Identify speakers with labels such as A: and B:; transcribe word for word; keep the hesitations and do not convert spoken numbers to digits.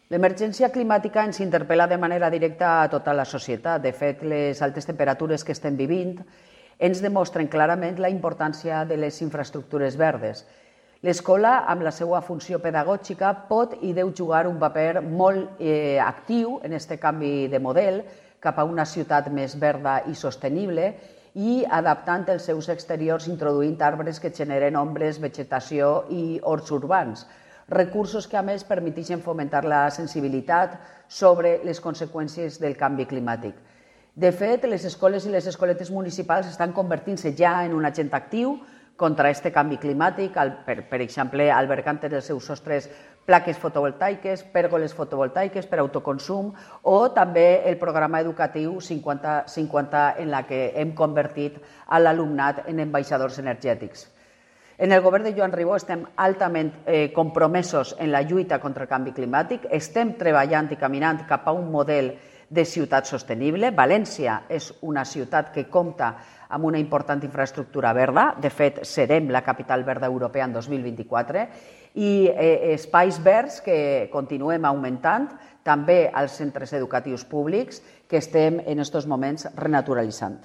A: L'emergència climàtica ens interpel·la de manera directa a tota la societat. De fet, les altes temperatures que estem vivint ens demostren clarament la importància de les infraestructures verdes. L'escola, amb la seva funció pedagògica, pot i deu jugar un paper molt eh, actiu en aquest canvi de model cap a una ciutat més verda i sostenible i adaptant els seus exteriors introduint arbres que generen ombres, vegetació i horts urbans. Recursos que, a més, permeteixen fomentar la sensibilitat sobre les conseqüències del canvi climàtic. De fet, les escoles i les escoletes municipals estan convertint-se ja en un agent actiu contra aquest canvi climàtic, per, per exemple, albergant en els seus sostres plaques fotovoltaiques, pèrgoles fotovoltaiques per autoconsum o també el programa educatiu cinquanta cinquanta en la que hem convertit a l'alumnat en ambaixadors energètics. En el govern de Joan Ribó estem altament eh, compromesos en la lluita contra el canvi climàtic, estem treballant i caminant cap a un model de ciutat sostenible. València és una ciutat que compta amb una important infraestructura verda, de fet serem la capital verda europea en dos mil vint-i-quatre, i eh, espais verds que continuem augmentant, també als centres educatius públics que estem en aquests moments renaturalitzant.